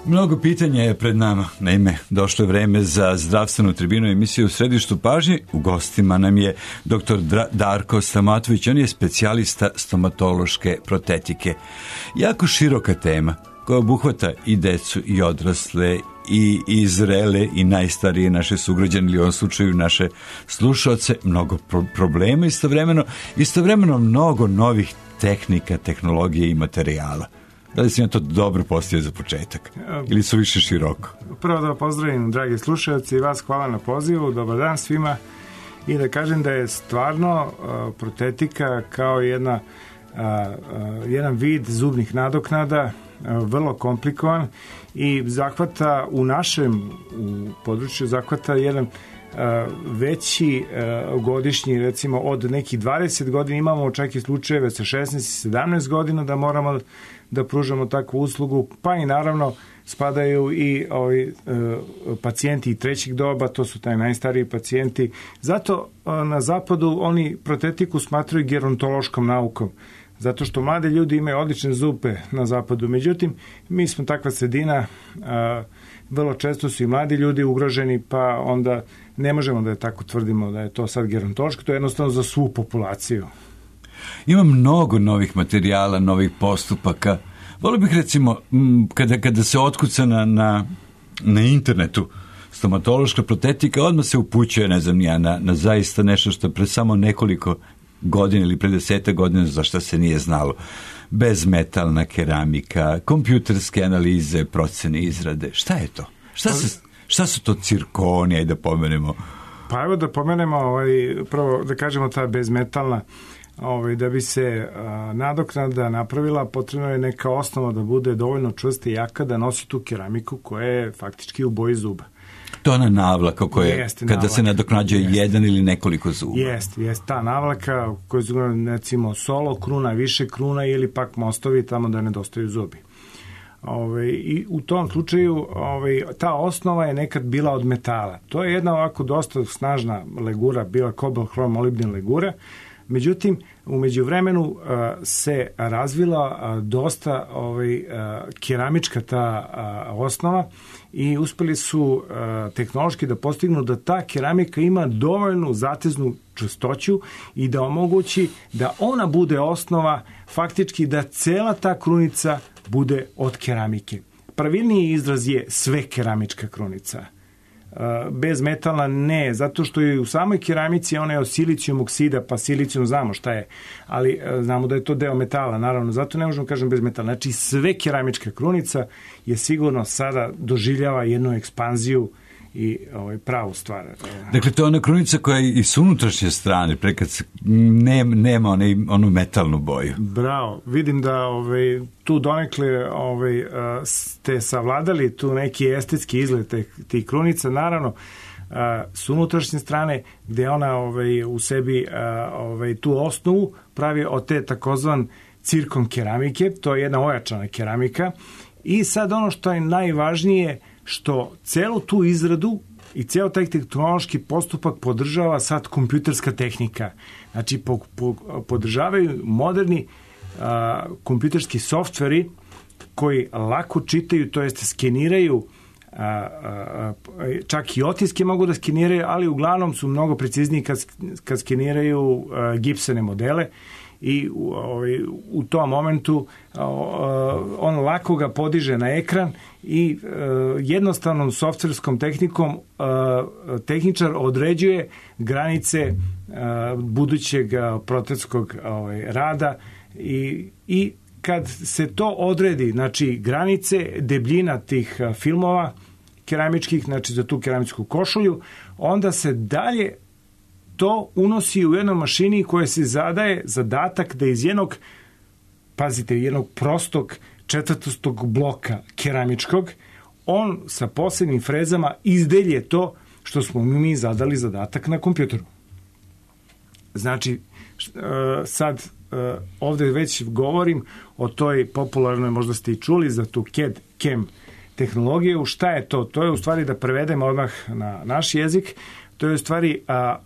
Mnogo pitanja je pred nama. Naime, došlo je vreme za zdravstvenu tribinu emisiju u središtu pažnje. U gostima nam je dr. Darko Stamatović. On je specijalista stomatološke protetike. Jako široka tema koja obuhvata i decu i odrasle i zrele i najstarije naše sugrađane ili u ovom slučaju naše slušaoce. Mnogo problema istovremeno mnogo novih tehnika, tehnologije i materijala. Da li si na to dobro postavio za početak? Ili su više široko? Prvo da pozdravim, dragi slušalci, i vas hvala na pozivu. Dobar dan svima. I da kažem da je stvarno protetika kao jedan vid zubnih nadoknada vrlo komplikovan i zahvata u području zahvata jedan veći godišnji, recimo od nekih 20 godina, imamo čak i slučajeve sa 16 i 17 godina da moramo da pružamo takvu uslugu, pa i naravno spadaju i ovi pacijenti trećeg doba, to su taj najstariji pacijenti. Zato na zapadu oni protetiku smatraju gerontološkom naukom, zato što mladi ljudi imaju odlične zube na zapadu. Međutim, mi smo takva sredina, vrlo često su i mladi ljudi ugroženi, pa onda ne možemo da je tako tvrdimo da je to sad gerontološko, to je jednostavno za svu populaciju. Ima mnogo novih materijala, novih postupaka. Volio bih recimo, kada se otkuca na internetu stomatološka protetika, odmah se upućuje, ne znam ja, na zaista nešto što pre samo nekoliko godina ili pre 10 godina za šta se nije znalo. Bezmetalna keramika, kompjuterske analize, procene, izrade. Šta je to? Šta su to cirkonije, da pomenemo? Pa evo da pomenemo, prvo da kažemo ta bezmetalna, da bi se nadoknada napravila, potrebno je neka osnova da bude dovoljno čvrsta i jaka da nosi tu keramiku koja je faktički u boji zuba. To je ona navlaka kada navlaka se nadoknađuje jedan ili nekoliko zuba. Jeste, ta navlaka koja su, recimo, solo kruna, više kruna ili pak mostovi tamo da nedostaju zubi. I u tom slučaju ta osnova je nekad bila od metala. To je jedna ovako dosta snažna legura, bila kobalt hrom molibden legura. Međutim, u međuvremenu se razvila dosta keramička ta osnova i uspeli su tehnološki da postignu da ta keramika ima dovoljnu zateznu čvrstoću i da omogući da ona bude osnova, faktički da cela ta krunica bude od keramike. Pravilniji izraz je sve keramička krunica. Bezmetalna ne, zato što je u samoj keramici ona je od silicijum oksida, pa silicijum znamo šta je, ali znamo da je to deo metala, naravno, zato ne možemo kažem bezmetalna. Znači sve keramička krunica je sigurno sada doživljava jednu ekspanziju i pravu stvar. Dakle, to je ona krunica koja je i s unutrašnje strane, prekad nema onu metalnu boju. Bravo, vidim da tu donekle ste savladali tu neki estetski izgled tih krunica, naravno s unutrašnje strane gde ona u sebi tu osnovu pravi od te takozvan cirkon keramike, to je jedna ojačana keramika i sad ono što je najvažnije što celu tu izradu i ceo taj tehnološki postupak podržava sad kompjuterska tehnika. Znači, podržavaju moderni kompjuterski softveri koji lako čitaju, to jest skeniraju, čak i otiske mogu da skeniraju, ali uglavnom su mnogo precizniji kad skeniraju gipsane modele i u tom momentu on lako ga podiže na ekran i jednostavnom softverskom tehnikom tehničar određuje granice budućeg protetskog rada i kad se to odredi, znači granice, debljina tih filmova keramičkih, znači za tu keramičku košulju, onda se dalje to unosi u jednoj mašini koja se zadaje zadatak da iz jednog prostog četvrtostog bloka keramičkog, on sa posebnim frezama izdelje to što smo mi zadali zadatak na kompjuteru. Znači, sad ovde već govorim o toj popularnoj, možda ste i čuli za tu CAD/CAM tehnologiju. Šta je to? To je u stvari, da prevedemo odmah na naš jezik, to je u stvari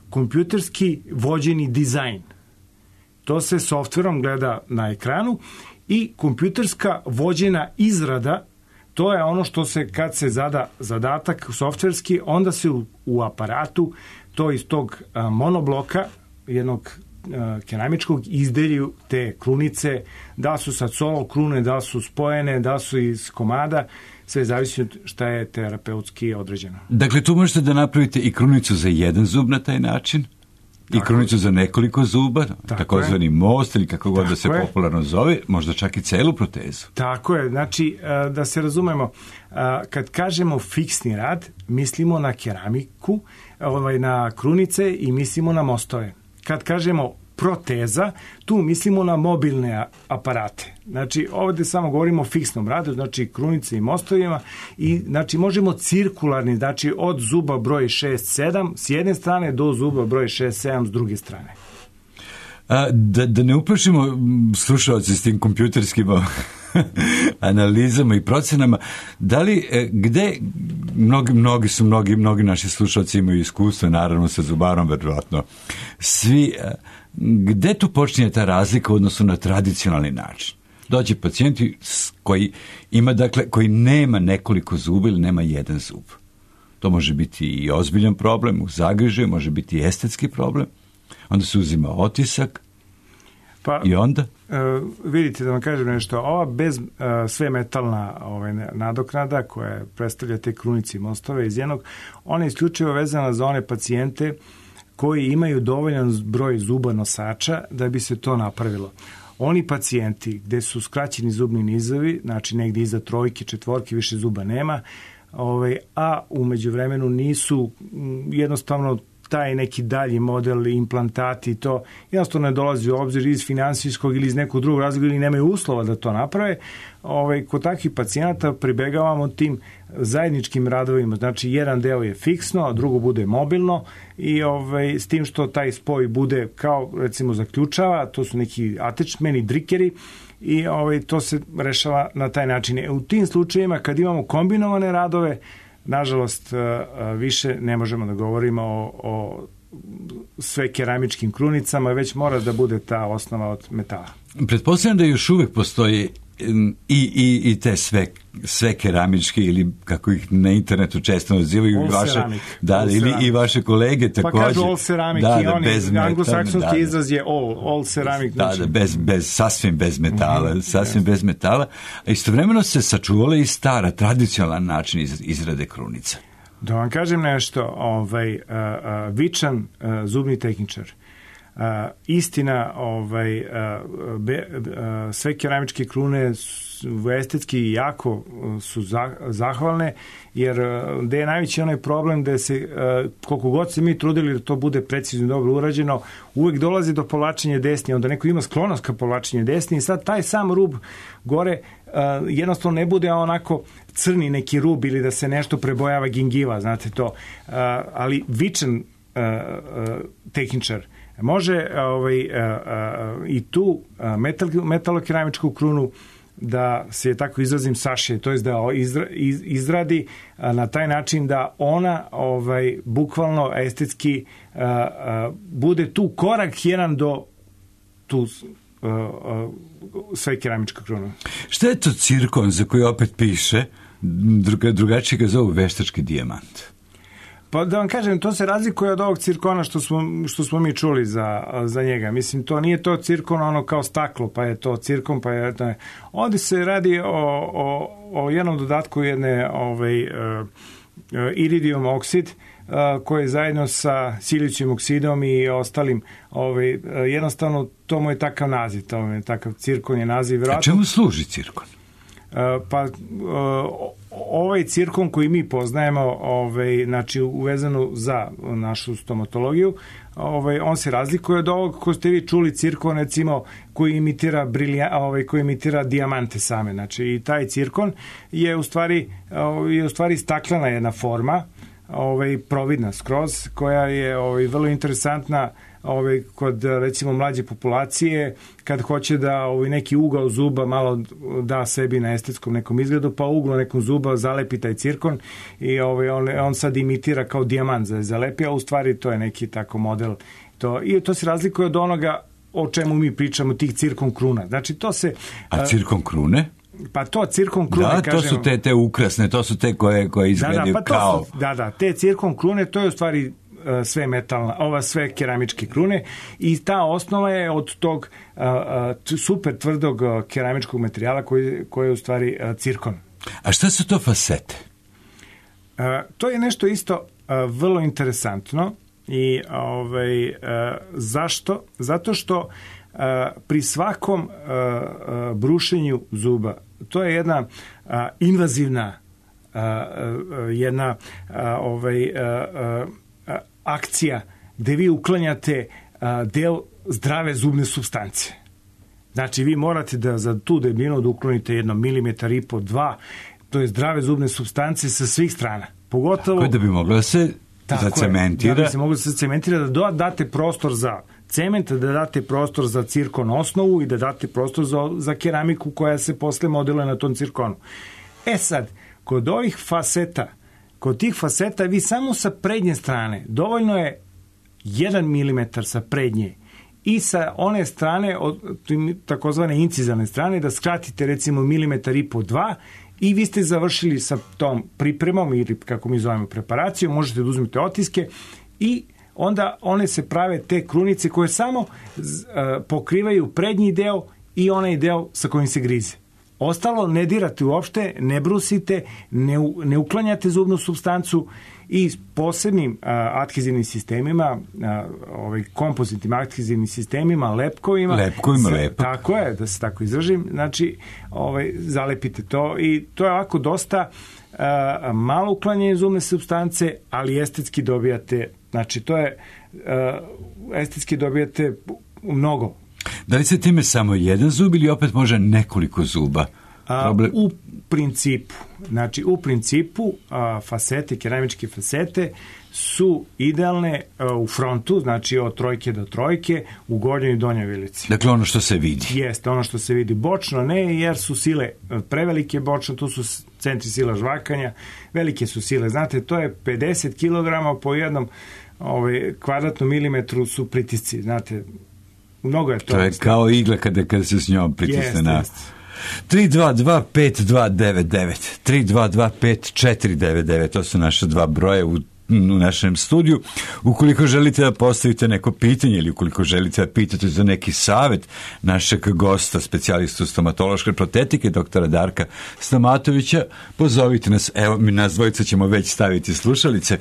kompjuterski vođeni dizajn. To se softverom gleda na ekranu i kompjuterska vođena izrada to je ono što se, kad se zada zadatak softverski, onda se u aparatu to iz tog monobloka jednog keramičkog izdelju te krunice, da su sad solo krune, da su spojene, da su iz komada, sve zavisi od šta je terapeutski određeno. Dakle, tu možete da napravite i krunicu za jedan zub na taj način, i krunicu za nekoliko zuba, takozvani most ili kako god da se popularno zove, možda čak i celu protezu. Tako je, znači da se razumemo, kad kažemo fiksni rad, mislimo na keramiku, na krunice i mislimo na mostove. Kad kažemo proteza, tu mislimo na mobilne aparate. Znači, ovdje samo govorimo o fiksnom radu, znači krunice i mostovima, i znači možemo cirkularni, znači od zuba broj 6-7 s jedne strane do zuba broj 6-7 s druge strane. Da ne uplašimo slušalci s tim kompjuterskim analizama i procenama, da li, gde, mnogi naši slušalci imaju iskustvo, naravno sa zubarom, verovatno svi, gde tu počinje ta razlika u odnosu na tradicionalni način? Dođe pacijenti koji ima, dakle, koji nema nekoliko zuba ili nema jedan zub. To može biti i ozbiljan problem, u zagrižaju, može biti i estetski problem. Onda se uzima otisak, pa, i onda? Vidite, da vam kažem nešto, ova bez sve metalna nadoknada koja predstavlja te krunice i mostove iz jednog, ona je isključivo vezana za one pacijente koji imaju dovoljan broj zuba nosača da bi se to napravilo. Oni pacijenti gde su skraćeni zubni nizovi, znači negdje iza 3, 4, više zuba nema, a u međuvremenu nisu jednostavno taj neki dalji model, implantati, to jednostavno ne dolazi u obzir iz finansijskog ili iz nekog drugog razloga ili nemaju uslova da to naprave. Kod takvih pacijenata pribegavamo tim zajedničkim radovima. Znači, jedan deo je fiksno, a drugo bude mobilno i s tim što taj spoj bude kao, recimo, zaključava, to su neki attachmeni, drikeri, i to se rešava na taj način. U tim slučajevima, kad imamo kombinovane radove, nažalost, više ne možemo da govorimo o sve keramičkim krunicama, već mora da bude ta osnova od metala. Pretpostavljam da još uvek postoji i te sve keramičke, ili kako ih na internetu često nazivaju, i vaše kolege takođe. Pa kažu all ceramic, i oni, anglosaksonski izraz je all ceramic. Sasvim bez metala, bez metala. A istovremeno se sačuvala i stara, tradicionalan način izrade krunica. Da vam kažem nešto, vičan zubni tehničar, istina, sve keramičke krune estetski jako su zahvalne, jer gde je najveći onaj problem da se, koliko god se mi trudili da to bude precizno i dobro urađeno, uvek dolazi do povlačenja desni, onda neko ima sklonost ka povlačenju desni i sad taj sam rub gore jednostavno ne bude onako crni neki rub ili da se nešto prebojava gingiva, znate to, ali vičan tehničar može i tu metalokeramičku krunu da se tako izrazim sašije, to je da izradi na taj način da ona bukvalno estetski bude tu korak jedan do tu sve keramička kruna. Šta je to cirkon za koji opet piše, drugačije ga zovu veštački dijamant? Pa da vam kažem, to se razlikuje od ovog cirkona što smo mi čuli za njega. Mislim, to nije to cirkon ono kao staklo, pa je to cirkon, pa je to... Ovdje se radi o jednom dodatku jedne iridium oksid, koji zajedno sa silicijum oksidom i ostalim, jednostavno to mu je takav naziv, takav cirkon je naziv. A čemu služi cirkon? Pa ovaj cirkon koji mi poznajemo, znači uvezano za našu stomatologiju, on se razlikuje od ovog ko ste vi čuli cirkon, recimo, koji imitira dijamante same. Znači i taj cirkon je u stvari staklena jedna forma, providna skroz, koja je vrlo interesantna kod, recimo, mlađe populacije, kad hoće da neki ugao zuba malo da sebi na estetskom nekom izgledu, pa uglo nekom zuba zalepi taj cirkon i on sad imitira kao dijamant za zalepi, a u stvari to je neki tako model. I to se razlikuje od onoga o čemu mi pričamo, tih cirkon kruna. Znači, to se... A cirkon krune? Pa to cirkon krune, da, to su te ukrasne, to su te koje izgledaju kao... te cirkon krune, to je u stvari sve metalna, sve keramičke krune i ta osnova je od tog super tvrdog keramičkog materijala koji je u stvari cirkon. A šta su to fasete? To je nešto isto vrlo interesantno i zašto? Zato što pri svakom brušenju zuba, to je jedna invazivna jedna akcija gde vi uklanjate deo zdrave zubne supstance. Znači, vi morate da za tu debljinu da uklonite 1,5 milimetar, 2, to je zdrave zubne supstance sa svih strana. Pogotovo... Tako da bi moglo da se zacementira. Da bi se moglo da se cementira, da date prostor za cement, da date prostor za cirkon osnovu i da date prostor za keramiku koja se posle modeluje na tom cirkonu. Sad, kod ovih faseta, kod tih faseta vi samo sa prednje strane, dovoljno je 1 milimetar sa prednje i sa one strane, takozvane incizalne strane, da skratite recimo 1,5 milimetar, 2 i vi ste završili sa tom pripremom ili kako mi zovemo preparacijom, možete da uzmete otiske i onda one se prave te krunice koje samo pokrivaju prednji deo i onaj deo sa kojim se grize. Ostalo ne dirate uopšte, ne brusite, ne uklanjate zubnu supstancu i s posebnim adhezivnim sistemima, kompozitnim adhezivnim sistemima, lepkovima. Tako je, da se tako izražim. Znači, zalepite to i to je ovako dosta malo uklanjanje zubne supstance, ali estetski dobijate, znači to je estetski dobijate mnogo. Da li se time samo jedan zub ili opet može nekoliko zuba? U principu fasete, keramičke fasete su idealne u frontu, znači od 3 do 3 u gornjoj i donjoj vilici. Dakle, ono što se vidi. Jeste, ono što se vidi. Bočno ne, jer su sile prevelike bočno, tu su centri sila žvakanja, velike su sile. Znate, to je 50 kg po jednom kvadratnom milimetru su pritisci, znate, mnogo je to. To je kao igla kada se s njom pritisne na... 322-5299 322-5499, to su naše dva broje u našem studiju. Ukoliko želite da postavite neko pitanje ili ukoliko želite da pitate za neki savet našeg gosta, specijalistu stomatološke protetike, doktora Darka Stamatovića, pozovite nas. Evo, mi nas dvojica ćemo već staviti slušalice.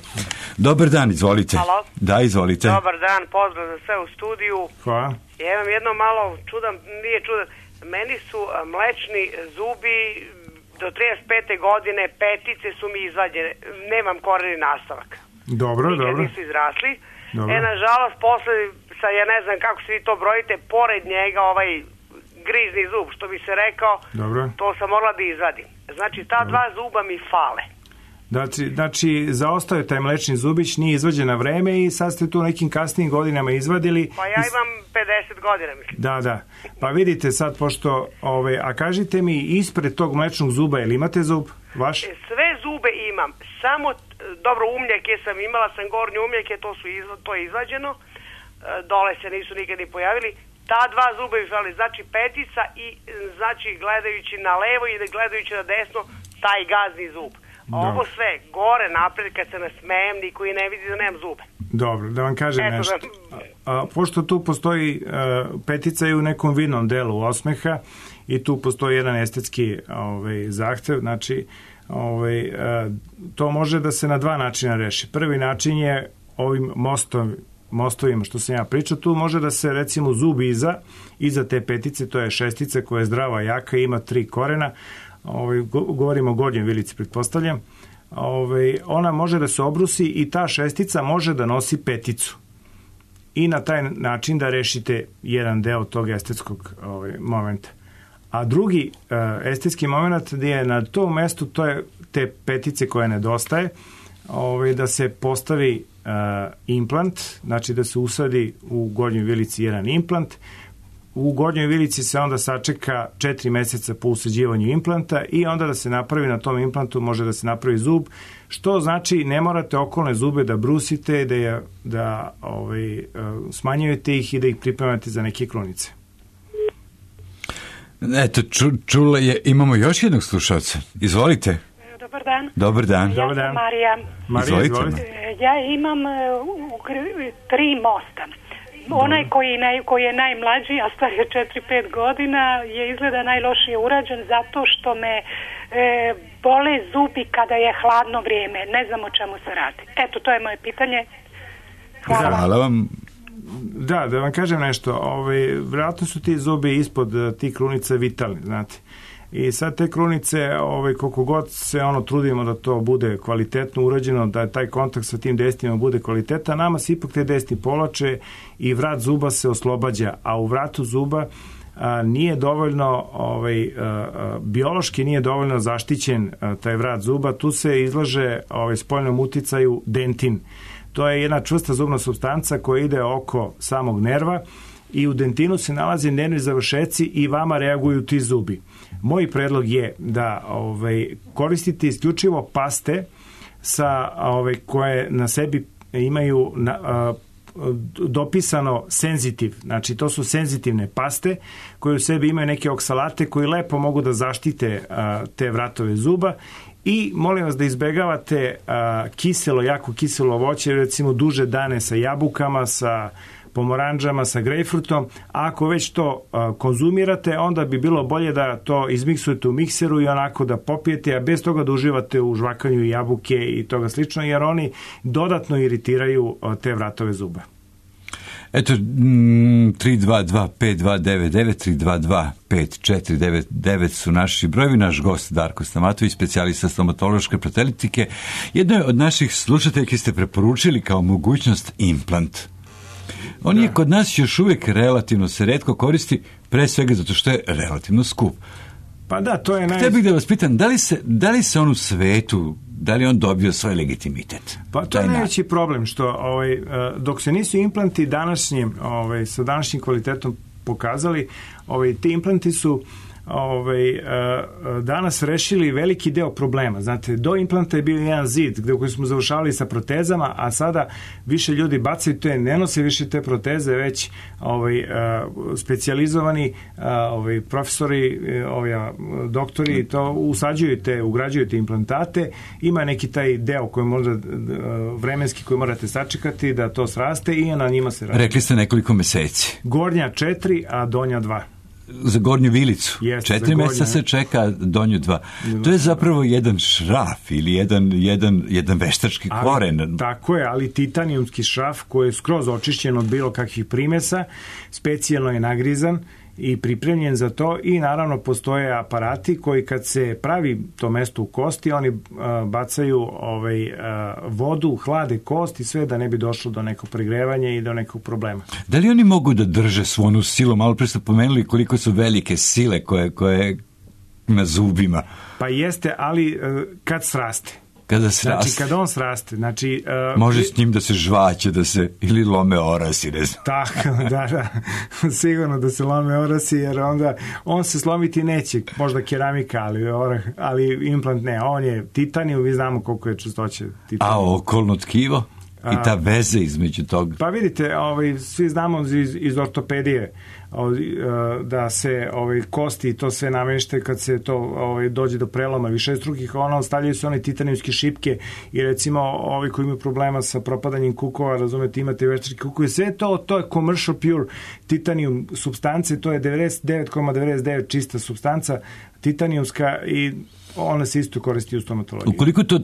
Dobar dan, izvolite. Halo? Da, izvolite. Dobar dan, pozdrav za sve u studiju. Hvala. Ja imam jedno malo čudan, nije čudan, meni su mlečni zubi do 35. godine, petice su mi izvađene, nemam koreni nastavak. Dobro. Nisu izrasli. Dobro. Nažalost, posle, ja ne znam kako se vi to brojite, pored njega grizni zub, što bi se rekao, dobro, to sam morala da izvadim. Znači, ta dva zuba mi fale. Znači, zaostao je taj mlečni zubić, nije izvađen na vreme i sad ste tu nekim kasnijim godinama izvadili. Pa ja imam 50 godina, mislim. Da. Pa vidite sad, pošto, a kažite mi, ispred tog mlečnog zuba, jel imate zub vaš? Sve zube imam, samo, dobro, umljake sam imala, sam gornje umljake, to je izvađeno, dole se nisu nikad ni pojavili. Ta dva zuba izvali, znači petica i znači gledajući na levo i gledajući na desno, taj gazni zub. Ovo sve, gore napred, kad se nasmejem, niko i ne vidi da nemam zube. Dobro, da vam kažem nešto. Pošto tu postoji petica i u nekom vidnom delu osmeha i tu postoji jedan estetski zahtev, znači to može da se na dva načina reši. Prvi način je ovim mostovima što sam ja pričao, tu može da se recimo zub iza te petice, to je šestica koja je zdrava, jaka, ima 3 korena, govorimo o gornjoj vilici, pretpostavljam, ona može da se obrusi i ta šestica može da nosi peticu i na taj način da rešite jedan deo tog estetskog momenta. A drugi estetski moment gdje je na tom mestu, to je te petice koje nedostaje, da se postavi implant, znači da se usadi u gornjoj vilici jedan implant. U gornjoj vilici se onda sačeka 4 meseca po usađivanju implanta i onda da se napravi na tom implantu, može da se napravi zub, što znači ne morate okolne zube da brusite, da smanjujete ih i da ih pripremate za neke krunice. Eto, čula je, imamo još jednog slušalca. Izvolite. Dobar dan. Dobar dan. Ja sam Marija. Izvolite. Ja imam 3 mosta. Onaj koji je najmlađi, a star je 4-5 godina, je izgleda najlošije urađen zato što me bole zubi kada je hladno vrijeme. Ne znam o čemu se radi. Eto, to je moje pitanje. Hvala vam. Da vam kažem nešto. Vjerojatno su ti zubi ispod tih krunica vitalni, znate. I sad te krunice, koliko god se trudimo da to bude kvalitetno urađeno, da taj kontakt sa tim desnima bude kvalitetan, nama se ipak te desni povlače i vrat zuba se oslobađa, a u vratu zuba nije dovoljno, biološki nije dovoljno zaštićen taj vrat zuba, tu se izlaže spoljnom uticaju dentin. To je jedna čvrsta zubna supstanca koja ide oko samog nerva i u dentinu se nalaze nervni završeci i vama reaguju ti zubi. Moj predlog je da koristite isključivo paste koje na sebi imaju dopisano senzitiv, znači to su senzitivne paste koje u sebi imaju neke oksalate koji lepo mogu da zaštite te vratove zuba. I molim vas da izbegavate jako kiselo voće, recimo duže dane sa jabukama, sa pomoranđama, sa grejpfrutom. A ako već to konzumirate, onda bi bilo bolje da to izmiksujete u mikseru i onako da popijete, a bez toga da uživate u žvakanju jabuke i toga slično, jer oni dodatno iritiraju te vratove zuba. Eto, 322-5299, 322-5499 su naši brojevi. Naš gost Darko Stamatović, specijalista stomatološke protetike. Jedno je od naših slušateljki ste preporučili kao mogućnost implant. On je kod nas još uvijek relativno se retko koristi, pre svega zato što je relativno skup. Pa da, to je Htio bih da vas pitam, da li se on u svetu, da li on dobio svoj legitimitet? Pa to je najveći problem, što dok se nisu implanti sa današnjim kvalitetom pokazali, ti implanti su danas rešili veliki deo problema. Znate, do implanta je bio jedan zid koji smo završavali sa protezama, a sada više ljudi bacaju ne nose više te proteze, već specijalizovani profesori, doktori to ugrađuju te implantate. Ima neki taj deo koji možda vremenski koji morate sačekati da to sraste i na njima se radi. Rekli ste nekoliko meseci. Gornja 4, a donja 2. Za gornju vilicu. 4 mjeseca se čeka, donju 2. To je zapravo jedan šraf ili jedan veštački koren. Tako je, ali titanijumski šraf koji je skroz očišćen od bilo kakvih primesa, specijalno je nagrizan i pripremljen za to i naravno postoje aparati koji kad se pravi to mesto u kosti, oni bacaju vodu, hlade kost i sve da ne bi došlo do nekog pregrevanja i do nekog problema. Da li oni mogu da drže svonu silu? Malo pre ste pomenuli koliko su velike sile koje na zubima. Pa jeste, ali kad sraste. Znači, kada on sraste. Znači, može s njim da se žvaće, ili lome orasi, ne znam. Tako, da. Sigurno da se lome orasi, jer onda on se slomiti neće. Možda keramika, ali implant ne. On je titanijum, vi znamo koliko je čestoće titanijum. A okolno tkivo? I ta veze između toga? Pa vidite, svi znamo iz ortopedije da se kosti i to sve namješte kad se to dođe do preloma višestrukih, stavljaju se one titanijumske šipke i recimo ovi koji imaju problema sa propadanjem kukova, razumete, imate veštačke kukove, sve to je commercial pure titanijum supstance, to je 99,99 čista supstanca titanijumska i ona se isto koristi u stomatologiji. Ukoliko to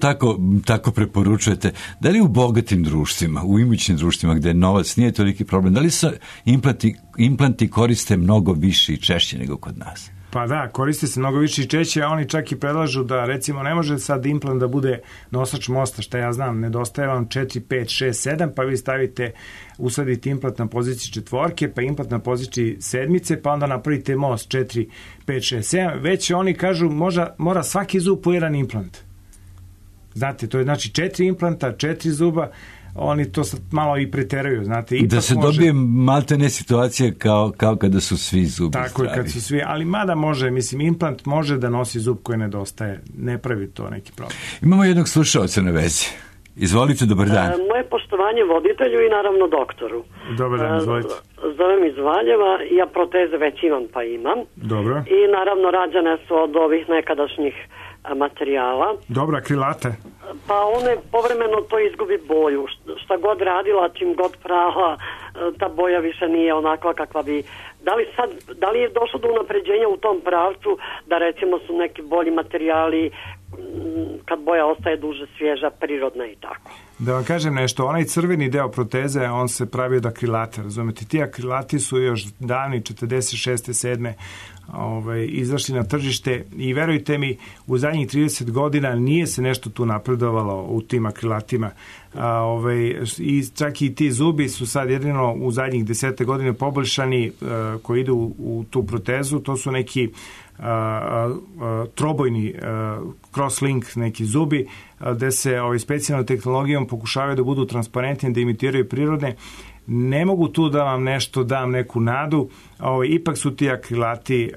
tako preporučujete, da li u bogatim društvima, u imućnim društvima gdje novac nije toliki problem, da li se implanti koriste mnogo više i češće nego kod nas? Pa da, koriste se mnogo više i češće, a oni čak i predlažu da, recimo, ne može sad implant da bude nosač mosta, šta ja znam, nedostaje vam 4, 5, 6, 7, pa vi usadite implant na poziciji 4, pa implant na poziciji 7, pa onda napravite most 4, 5, 6, 7, već oni kažu mora svaki zub po jedan implant. Znate, to je znači 4 implanta, 4 zuba, oni to sad malo i preteraju, znate. Da se dobije maltene situacije kao kada su svi zubi tako zdravi. Tako kad su svi, ali mada može, implant može da nosi zub koji nedostaje, ne pravi to neki problem. Imamo jednog slušaoca na vezi. Izvolite, dobar dan. Moje poštovanje voditelju i naravno doktoru. Dobar dan, izvolite. Zovem iz Valjeva, ja proteze već imam pa imam. Dobro. I naravno rađene su od ovih nekadašnjih materijala. Dobro, akrilate. Pa one povremeno to izgubi boju. Šta god radila, čim god prala, ta boja više nije onakva kakva bi... Da li je došlo do unapređenja u tom pravcu da recimo su neki bolji materijali kad boja ostaje duže svježa, prirodna i tako? Da vam kažem nešto, onaj crveni deo proteze, on se pravi od akrilata, razumete? Ti akrilati su još davni 46. 7. Izašli na tržište i verujte mi, u zadnjih 30 godina nije se nešto tu napredovalo u tim akrilatima. I čak i ti zubi su sad jedino u zadnjih 10 godina poboljšani koji idu u tu protezu, to su neki trobojni crosslink neki zubi gde se specijalnom tehnologijom pokušavaju da budu transparentni, da imitiraju prirodne. Ne mogu tu da vam nešto dam neku nadu, ipak su ti akrilati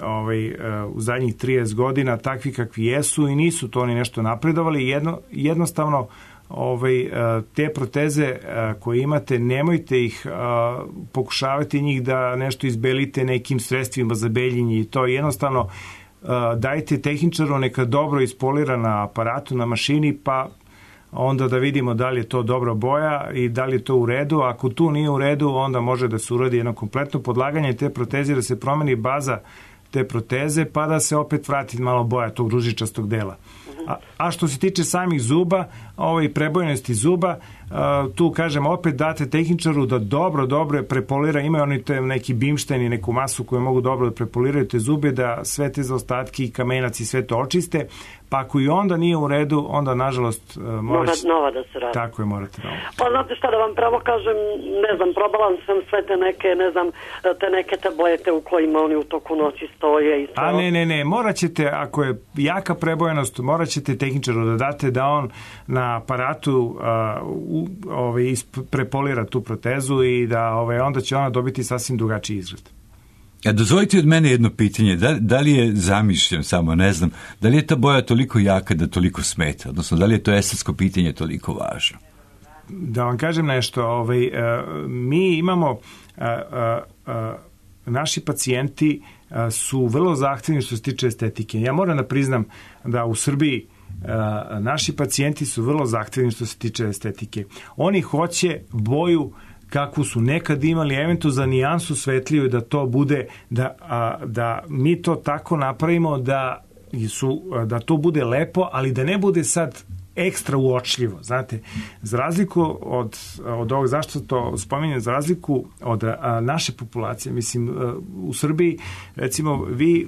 u zadnjih 30 godina takvi kakvi jesu i nisu to oni nešto napredovali. Jednostavno te proteze koje imate, nemojte ih pokušavati njih da nešto izbelite nekim sredstvima za beljenje i to jednostavno dajte tehničaru neka dobro ispolira na aparatu, na mašini, pa onda da vidimo da li je to dobra boja i da li je to u redu. Ako tu nije u redu, onda može da se uradi jedno kompletno podlaganje te proteze, da se promeni baza te proteze, pa da se opet vrati malo boja tog ružičastog dela. A što se tiče samih zuba, prebojnosti zuba, tu kažem opet date tehničaru da dobro prepolira, imaju oni neki bimštajn i neku masu koju mogu dobro da prepoliraju te zube, da sve te zaostatki i kamenac i sve to očiste, pa ako i onda nije u redu, onda nažalost mora nova da se radi. Tako je, morate novo. Pa znate šta da vam pravo kažem, ne znam, probala sam sve te neke, ne znam, te neke tablete u kojima oni u toku noći stoje i to. A ne, morat ćete, ako je jaka prebojenost, morat ćete tehničaru da date da on na aparatu prepolira tu protezu i da onda će ona dobiti sasvim drugačiji izgled. Dozvolite od mene jedno pitanje, da li je zamišljen, samo ne znam, da li je ta boja toliko jaka da toliko smeta, odnosno da li je to estetsko pitanje toliko važno? Da vam kažem nešto, mi imamo, naši pacijenti su vrlo zahtevni što se tiče estetike. Ja moram da priznam da u Srbiji naši pacijenti su vrlo zahtevni što se tiče estetike. Oni hoće boju kakvu su nekad imali, eventualno za nijansu svetliju, da to bude, da mi to tako napravimo da to bude lepo, ali da ne bude sad ekstra uočljivo. Znate, za razliku od ovog, zašto to spominjem, za razliku od naše populacije, mislim, u Srbiji, recimo, vi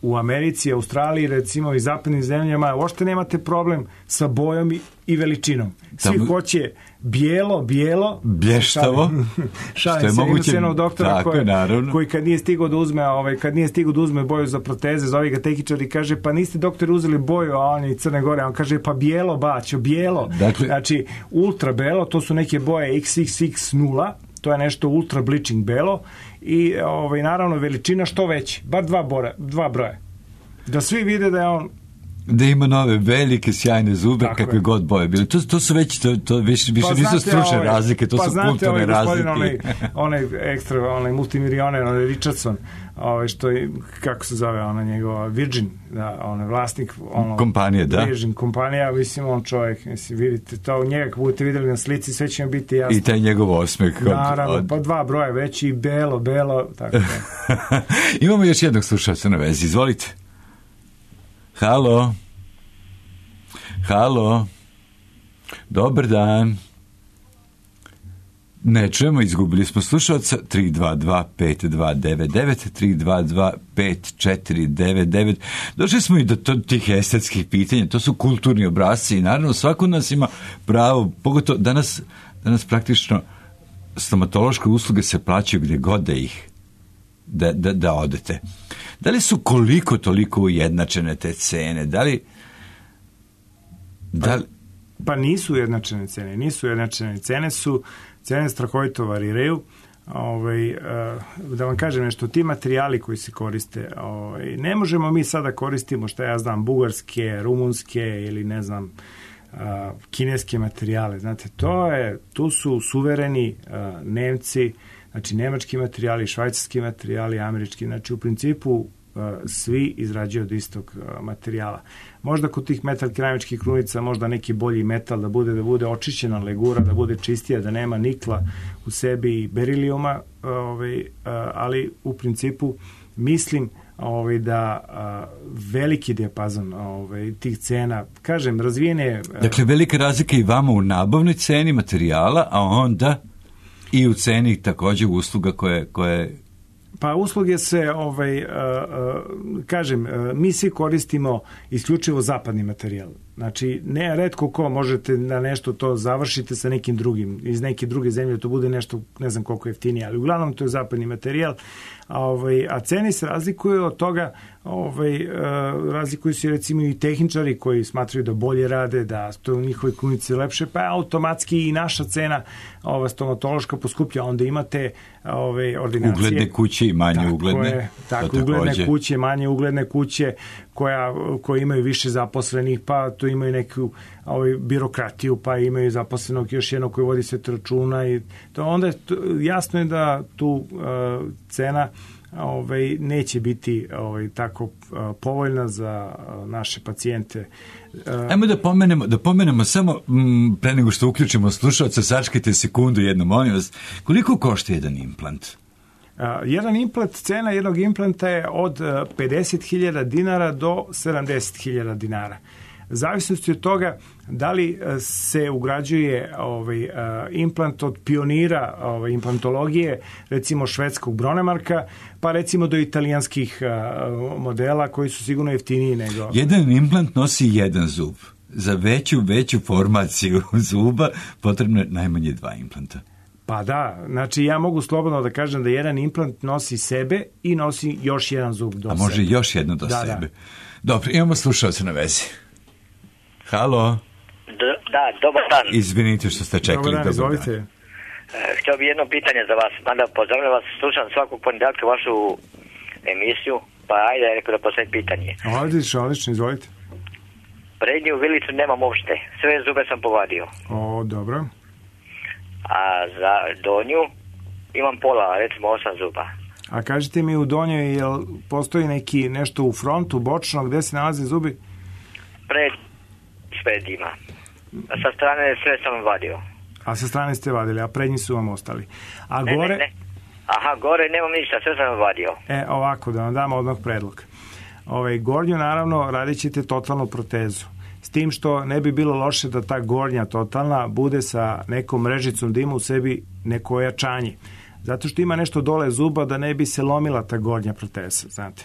u Americi, Australiji, recimo i zapadnim zemljama, uopšte nemate problem sa bojom i veličinom. Svi hoće bijelo, blještavo, što je moguće, doktora koji kad nije stigao da uzme boju za proteze, zove ga tehničar i kaže, pa niste doktor uzeli boju, a on je Crne Gore, on kaže, pa bijelo baćo, bijelo. Dakle, znači, ultra belo, to su neke boje XXX0, to je nešto ultra bleaching belo i naravno veličina što veći, bar dva broja. Da svi vide da je on... Da ima nove velike sjajne zube, tako kakve god boje bili. To su već, to više nisu stručne razlike, to su kulturne razlike. Onaj ekstra, onaj multimilioner, onaj Richardson, što je, kako se zove, ona njegova Virgin, onaj vlasnik kompanije, da. Virgin kompanija, mislim, on čovjek, mislim, vidite to, njega kako budete vidjeli na slici, sve će vam biti jasno. I taj njegov osmeh. Naravno, pa dva broja veći i belo, tako da. Imamo još jednog slušalca na vezi, izvolite. Halo, dobar dan. Ne čujemo, izgubili smo slušalca. 322-5299, 322-5499. Došli smo i do tih estetskih pitanja, to su kulturni obrasci i naravno svako od nas ima pravo, pogotovo danas praktično stomatološke usluge se plaćaju gdje god da ih da odete. Da li su koliko toliko ujednačene te cene? Pa nisu ujednačene cene. Cene strahovito variraju. Da vam kažem nešto, ti materijali koji se koriste, ne možemo mi sada koristimo, šta ja znam, bugarske, rumunske ili ne znam, kineske materijale. Znate, tu su suvereni Nemci, znači nemački materijali, švajcarski materijali, američki, znači u principu svi izrađuju od istog materijala. Možda kod tih metal keramičkih krunica možda neki bolji metal da bude očišćena legura, da bude čistija, da nema nikla u sebi i berilijuma, ali u principu mislim da veliki dijapazon tih cena, kažem, razvijene... Dakle, velika razlika i vama u nabavnoj ceni materijala, a onda i u ceni također usluga koje... Pa usluge se, kažem, mi svi koristimo isključivo zapadni materijal. Znači, ne retko ko možete da nešto to završite sa nekim drugim, iz neke druge zemlje, to bude nešto, ne znam koliko jeftinije, ali uglavnom to je zapadni materijal, a cene se razlikuju od toga, razlikuju se recimo i tehničari koji smatraju da bolje rade, da to u njihovoj krunici lepše, pa automatski i naša cena stomatološka poskuplja, onda imate ordinacije. Ugledne kuće i manje ugledne. Tako, ugledne kuće, manje ugledne kuće koje imaju više zaposlenih, pa tu imaju neku birokratiju, pa imaju zaposlenog još jednog koji vodi sve računa i to onda jasno je da tu cena neće biti tako povoljna za naše pacijente. Ajmo da pomenemo samo pre nego što uključimo slušalca, sačekajte sekundu jednu, molim vas, koliko košta jedan implant? Jedan implant, cena jednog implanta je od 50.000 dinara do 70.000 dinara. Zavisnosti od toga da li se ugrađuje implant od pionira implantologije, recimo švedskog Bronemarka, pa recimo do italijanskih modela koji su sigurno jeftiniji nego... Jedan implant nosi jedan zub. Za veću formaciju zuba potrebno je najmanje 2 implanta. Pa da, znači ja mogu slobodno da kažem da jedan implant nosi sebe i nosi još jedan zub do sebe. A može još jedno do sebe. Da. Dobro, imamo slušalce na vezi. Halo? Da, dobar dan. Izvinite što ste čekali. Dobar dan, izvolite. Htio bi jedno pitanje za vas. Mada pozdravljam vas, slušam svakog ponedjeljka vašu emisiju, pa ajde rekao da postavim pitanje. Odlično, izvolite. Prednju vilicu nemam uopšte, sve zube sam povadio. Dobro. A za donju imam pola, recimo 8 zuba. A kažete mi u donjoj, jel postoji nešto u frontu, bočno, gde se nalaze zubi? Pred ima. A sa strane sve sam vadio. A sa strane ste vadili, a prednji su vam ostali. A ne, gore... Ne. Aha, gore nemam ništa, sve sam vadio. Ovako, da vam dam odmah predlog. Gornju, naravno, radit ćete totalnu protezu. S tim što ne bi bilo loše da ta gornja totalna bude sa nekom mrežicom da ima u sebi neko ojačanje. Zato što ima nešto dole zuba da ne bi se lomila ta gornja proteza, znate.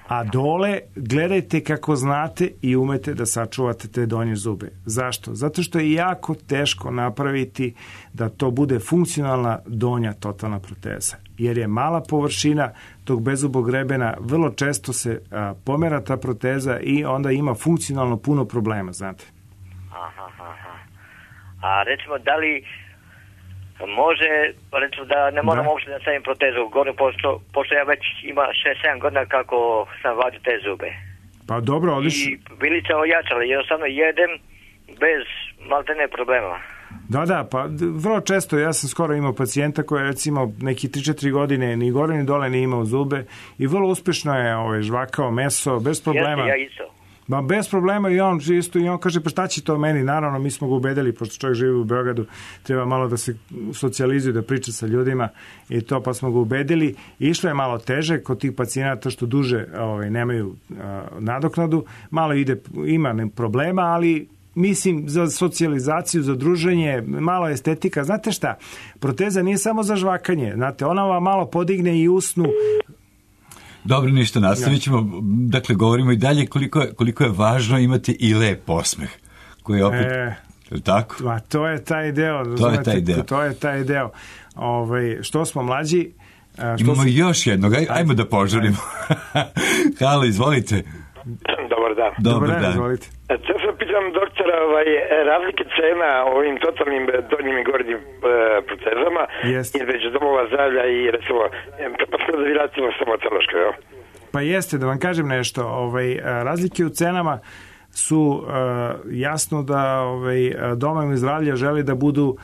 A dole gledajte kako znate i umete da sačuvate te donje zube. Zašto? Zato što je jako teško napraviti da to bude funkcionalna donja totalna proteza. Jer je mala površina tog bezubog grebena, vrlo često se pomera ta proteza i onda ima funkcionalno puno problema, znate. A recimo, da li može, recimo da ne moram uopšte da stavim protezu gore, pošto ja već ima 6-7 godina kako sam vadio te zube. Pa dobro, odlično. I vilica ojačala, jednostavno jedem bez maltene problema. Da, pa vrlo često, ja sam skoro imao pacijenta koji je recimo neki 3-4 godine ni gore ni dole ni imao zube i vrlo uspešno je žvakao meso, bez problema. Jeste, ja isto. Ma bez problema i on kaže pa šta će to meni, naravno mi smo ga ubedili, pošto čovjek živi u Beogradu, treba malo da se socijalizuje, da priča sa ljudima i to, pa smo ga ubedili. Išlo je malo teže kod tih pacijenata što duže nemaju nadoknadu, malo ima problema, ali mislim za socijalizaciju, za druženje, malo estetika. Znate šta, proteza nije samo za žvakanje, znate, ona vam malo podigne i usnu. Dobro, ništa, nastavit ćemo. Dakle, govorimo i dalje koliko je važno imati i lep osmeh. Koji je opet... tako? To je taj deo. To je taj deo. Što smo mlađi... Imamo još jednog. Ajmo da požurimo. Halo, izvolite. Dobar dan. Izvolite. To sam pitam doktora, razlike cena ovim totalnim donjim i gornjim protezama između domova zdravlja i recimo stomatološko, Pa jeste, da vam kažem nešto, razlike u cenama su jasno da domovi zdravlja žele da budu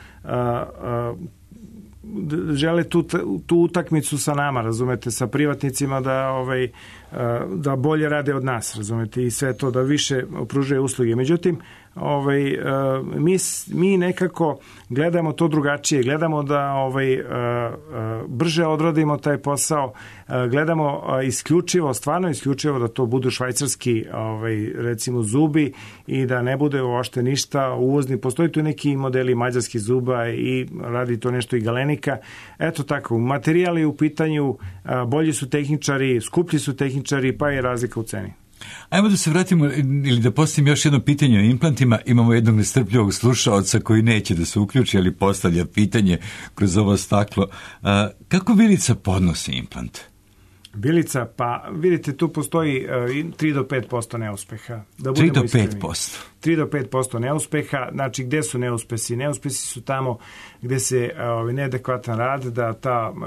žele tu utakmicu sa nama, razumete, sa privatnicima da bolje rade od nas, razumete, i sve to da više pružaju usluge. Međutim, mi nekako gledamo to drugačije, gledamo da brže odradimo taj posao, gledamo stvarno isključivo da to budu švajcarski recimo zubi i da ne bude uopšte ništa uvozni. Postoji tu neki modeli mađarskih zuba i radi to nešto i Galenika. Eto tako, materijali u pitanju, bolji su tehničari, skuplji su tehničari, pa je razlika u ceni. Ajmo da se vratimo ili da postavim još jedno pitanje o implantima. Imamo jednog nestrpljivog slušaoca koji neće da se uključi, ali postavlja pitanje kroz ovo staklo. Kako Bilica podnosi implant? Bilica, pa vidite, tu postoji 3 do 5% neuspeha. 3 do 5%? 3 do 5% neuspeha. Znači, gde su neuspesi? Neuspesi su tamo gde se neadekvatan rad,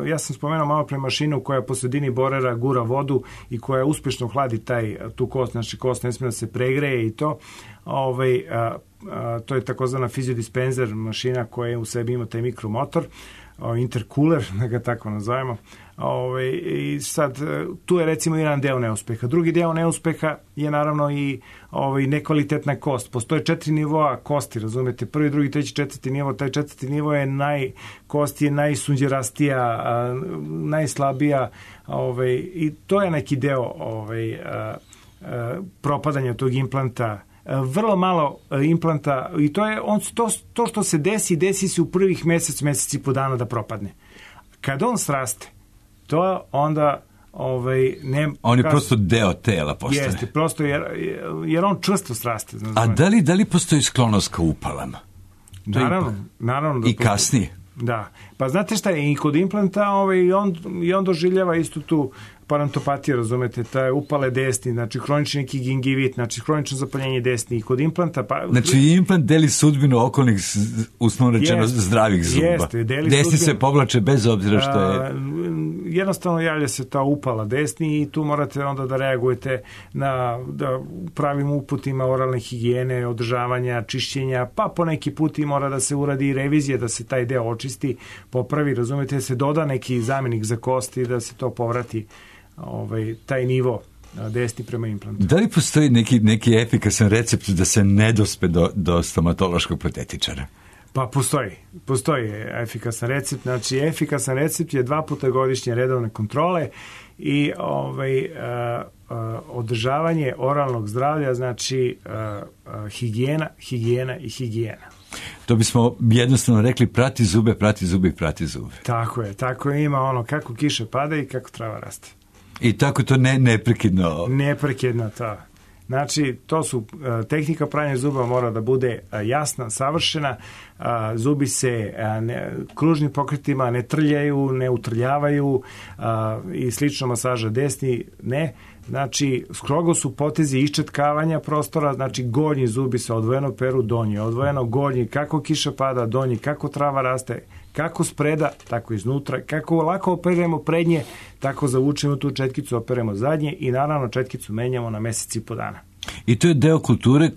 ja sam spomenuo malo pre mašinu koja po sredini borera gura vodu i koja uspešno hladi tu kost, znači kost ne smije da se pregreje i to. To je takozvana fiziodispenzer mašina koja u sebi ima taj mikromotor, intercooler, da ga tako nazovemo. I sad, tu je recimo jedan deo neuspeha. Drugi deo neuspeha je naravno i nekvalitetna kost. Postoje 4 nivoa kosti, razumete, 1., 2., 3., 4. nivo. Taj 4. nivo je kost je najsunđerastija, najslabija, i to je neki deo propadanja tog implanta. Vrlo malo implanta, i to je to što se desi se u prvih mesec i po dana da propadne. Kad on sraste, to onda on je prosto deo tela postane. Jeste, prosto jer on čvrsto sraste. A da li postoji sklonost ka upalama? Naravno. I kasnije? Da. Pa znate šta je, i kod implanta i on doživljava istu tu parantopatiju, razumete, taj upale desni, znači hronični neki gingivit, znači hronično zapaljenje desni i kod implanta. Znači implant deli sudbinu okolnih, uslovno rečeno, zdravih zuba. Jeste, deli desni sudbinu. Se povlače bez obzira što je... Jednostavno javlja se ta upala desni i tu morate onda da reagujete na pravim uputima oralne higijene, održavanja, čišćenja, pa po neki put i mora da se uradi revizija, da se taj deo očisti, popravi, razumete, da se doda neki zamjenik za kosti, da se to povrati taj nivo desni prema implantu. Da li postoji neki efikasan recept da se ne dospe do stomatološkog protetičara? Pa postoji efikasan recept. Znači, efikasan recept je 2 puta godišnje redovne kontrole i održavanje oralnog zdravlja, znači higijena. To bismo jednostavno rekli prati zube. Tako je, ima kako kiša pada i kako trava raste. I tako to neprekidno. Neprekidno, to. Znači, to su tehnika pranja zuba mora da bude jasna, savršena. Zubi se kružnim pokretima ne trljaju, ne utrljavaju i slično masaža desni ne. Znači, strogo su potezi iščetkavanja prostora, znači gornji zubi se odvojeno peru, donji odvojeno, gornji kako kiša pada, donji kako trava raste, kako spreda, tako iznutra, kako lako operemo prednje, tako zavučemo tu četkicu, operemo zadnje i naravno četkicu menjamo na mesec i po dana. I to je deo kulture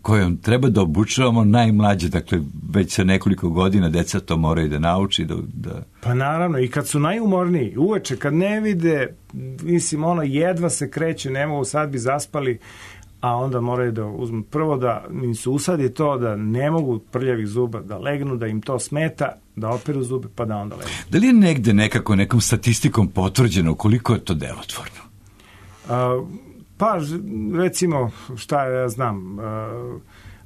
kojom treba da obučavamo najmlađe, dakle već sa nekoliko godina deca to moraju da nauči. Pa naravno, i kad su najumorniji, uveče, kad ne vide, mislim, jedva se kreće, ne mogu, sad bi zaspali, a onda moraju da uzmu prvo da im se usadi to da ne mogu prljavih zuba da legnu, da im to smeta, da operu zube, pa da onda legnu. Da li je negde nekom statistikom potvrđeno koliko je to delotvorno? Pa, recimo, šta ja znam,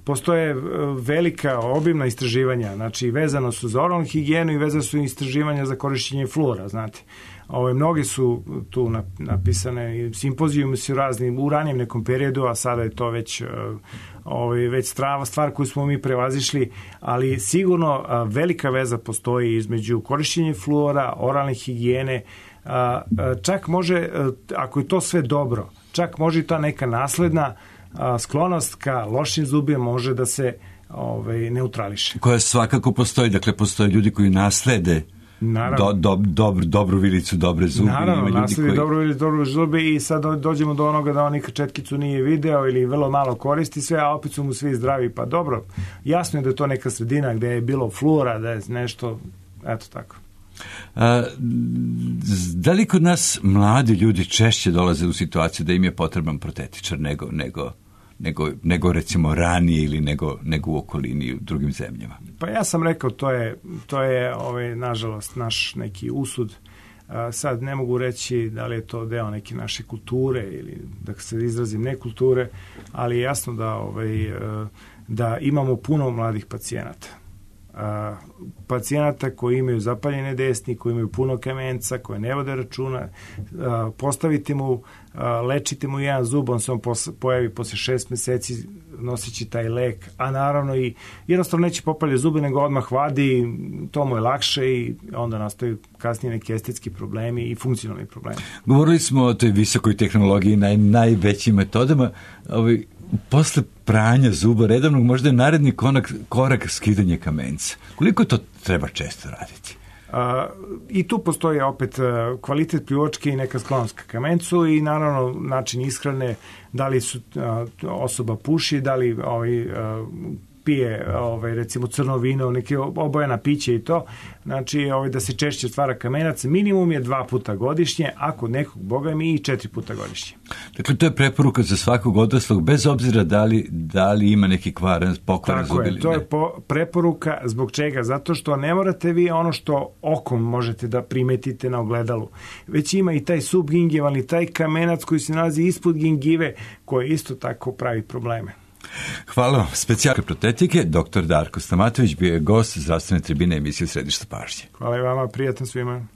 postoje velika obimna istraživanja, znači vezano su za oralnu higijenu i vezano su istraživanja za korišćenje fluora, znate. Mnogi su tu napisane, simpozijumi su razni u ranijem nekom periodu, a sada je to već stvar koju smo mi prevazišli, ali sigurno velika veza postoji između korišćenja fluora, oralne higijene, čak može, ako je to sve dobro, čak može i ta neka nasledna sklonost ka lošim zubima može da se neutrališe. Koja svakako postoji, dakle postoje ljudi koji naslede dobru vilicu, dobre zube. Naravno, nasledi dobru vilicu, dobre zube i sad dođemo do onoga da on nikad četkicu nije video ili vrlo malo koristi sve, a opet su mu svi zdravi. Pa dobro, jasno je da je to neka sredina gde je bilo fluora, da je nešto, eto tako. Da li kod nas mladi ljudi češće dolaze u situaciju da im je potreban protetičar nego recimo ranije ili nego u okolini u drugim zemljama? Pa ja sam rekao, to je nažalost naš neki usud. Sad ne mogu reći da li je to deo neke naše kulture ili da se izrazim nekulture, ali je jasno da imamo puno mladih pacijenata koji imaju zapaljene desni, koji imaju puno kamenca, koji ne vode računa. Postavite mu, lečite mu jedan zub, on se pojavi posle 6 meseci noseći taj lek, a naravno i jednostavno neće popalje zube, nego odmah vadi, to mu je lakše i onda nastaju kasnije neki estetski problemi i funkcionalni problemi. Govorili smo o toj visokoj tehnologiji, najvećim metodama. Posle pranja zuba redovnog možda je naredni korak skidanje kamenca. Koliko to treba često raditi? I tu postoji opet kvalitet pljuvačke i neka sklonost ka kamencu i naravno način ishrane, da li osoba puši, da li pije recimo crno vino, neke obojena piće i to, znači da se češće stvara kamenac, minimum je 2 puta godišnje, a kod nekog boga mi i 4 puta godišnje. Dakle, to je preporuka za svakog odraslog, bez obzira da li ima neki pokvaran zub ili ne. To je preporuka, zbog čega? Zato što ne morate vi ono što okom možete da primetite na ogledalu, već ima i taj subgingivalni, taj kamenac koji se nalazi ispod gingive, koji isto tako pravi probleme. Hvala vam. Specijalne protetike, dr. Darko Stamatović bio je gost zdravstvene tribine emisije Središte pažnje. Hvala i vama, prijatno svima.